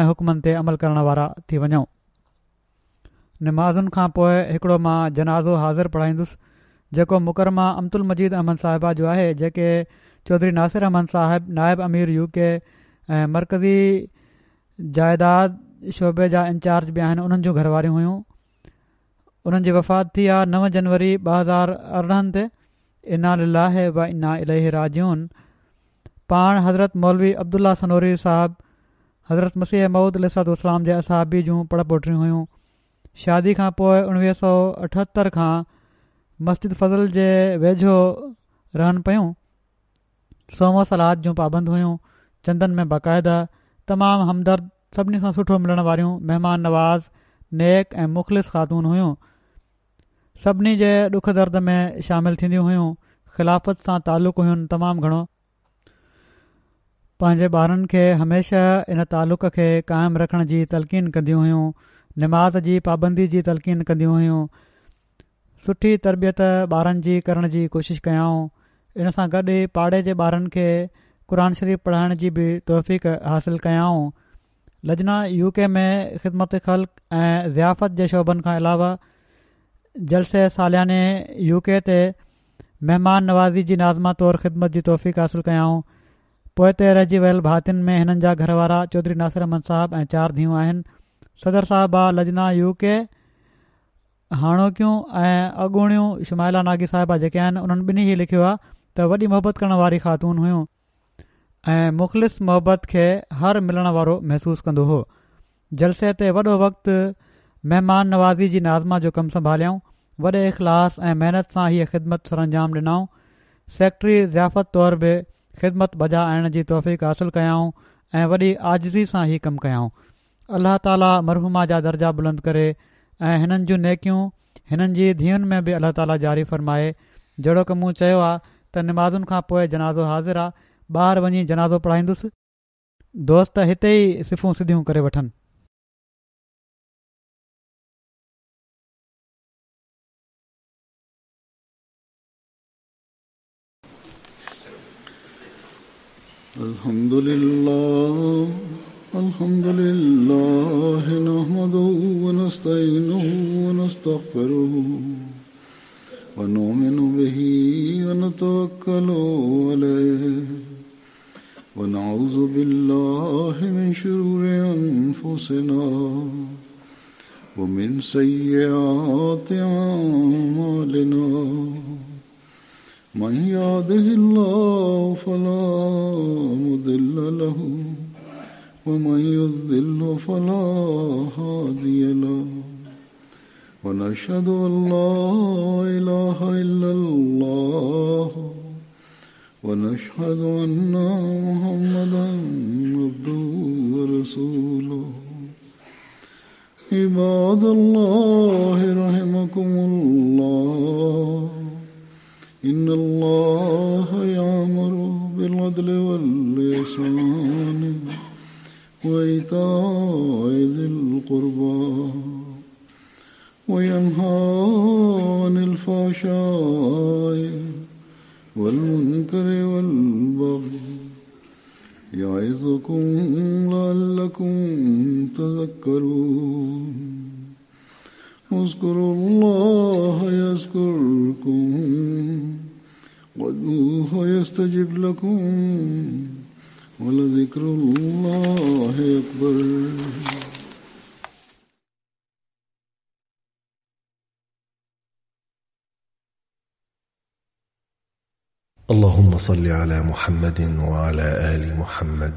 ۽ حڪمن تي عمل ڪرڻ وارا ٿي وڃون. نمازن کان پوءِ هڪڙو مان جنازو حاضر پڙهائيندس جيڪو مڪرمه امت المجيد احمد صاحبه جو آهي، جيڪي چوڌري ناصر احمد صاحب نائب امير يو ڪي ۽ مرڪزي جائيداد شعبي جا انچارج به آهن، انهن جون گهر واريون هيون. انهن جي وفات ٿي آهي نو جنوري ٻه هزار ارڙهن تي. انا لله و انا اليه راجعون. پاڻ حضرت مولوي عبدالله سنوري صاحب حضرت مسيح موعود عليه الصلوة والسلام جي اصحابي جون پڙ پوٽريون هيون. شادي کان پوءِ اڻويهه سؤ اٺهتر کان مسجد فضل جي ويجهو رهن پيون. صوم و صلات جون پابند هيون. چندن ۾ باقاعده، تمام همدرد، سڀني سان سٺو ملڻ واريون، مهمان نواز، نيڪ ۽ مخلص خاتون هيون. سڀني جي ڏک درد ۾ شامل ٿينديون هيون. خلافت سان تعلق هين تمام گهڻو. پنهنجي ٻارن کي هميشه ان تعلق کي قائم رکڻ جي تلقين ڪنديون هيون. نماز جي پابندي جي تلقين ڪنديون هيون. سٺي تربيت ٻارن جي ڪرڻ جي ڪوشش ڪيائون. ان سان گڏ ئي پاڙي جي ٻارن کي قرآن شريف پڙهائڻ جي به توفيق حاصل ڪيائون. لجنا يو ڪي ۾ خدمت خلق ۽ ضيافت جي شعبن کان علاوه جلسي سالياني يو ڪي تي مهمان نوازي جي ناظمه طور خدمت جي توفيق حاصل ڪيائون. پوئتي رهجي ويل ڀاتين ۾ هنن جا گهر وارا چوڌري ناصر احمد صاحب ۽ چار ڌيئون آهن. صدر صاحبه لجنا يو ڪي هاڻوڪيون ۽ اڳوڻيون شمائله ناگي صاحبه جيڪي آهن انهن ٻنهي هي لکيو آهي ته وڏي محبت ڪرڻ واري خاتون هيون ۽ مخلص محبت کي هر ملڻ وارو محسوس ڪندو هو. جلسي تي وڏو وقت مهمان نوازي جي ناظمه جو ڪم سنڀاليائون. وڏي اخلاص ۽ محنت سان هيءَ خدمت سرانجام ڏنائون. سيڪريٽري ضيافت طور به خدمت بجا آڻڻ جي توفيق حاصل ڪيائون ۽ وڏي عاجزي سان هي ڪم ڪيائون. الله تعاليٰ مرحومه جا درجا بلند ڪري ۽ هنن جون نيڪيون هنن جي ڌيئن ۾ به الله تعاليٰ جاري فرمائي. جهڙوڪ مون چيو آهي ته نمازن کان پوءِ جنازو حاضر آهي، ٻاهر وڃي جنازو پڙهائيندس. دوست هتي ئي صفون سڌيون ڪري وٺن. الحمد لله الحمد لله نحمده ونستعينه ونستغفره ونؤمن به ونتوكل عليه ونعوذ بالله من شرور أنفسنا ومن سيئات أعمالنا من يهده الله فلا مضل له ومن يضلل فلا هادي له ونشهد أن لا إله إلا الله ونشهد أن محمدا عبده ورسوله. عباد الله رحمكم الله إن الله يأمر بالعدل والإحسان وإيتاء ذي القربى وينهى عن الفحشاء والمنكر والبغي يعظكم لعلكم تذكرون. اذكروا الله يذكركم وادعوه يستجب لكم ولذكر الله أكبر. اللهم صل على محمد وعلى آل محمد.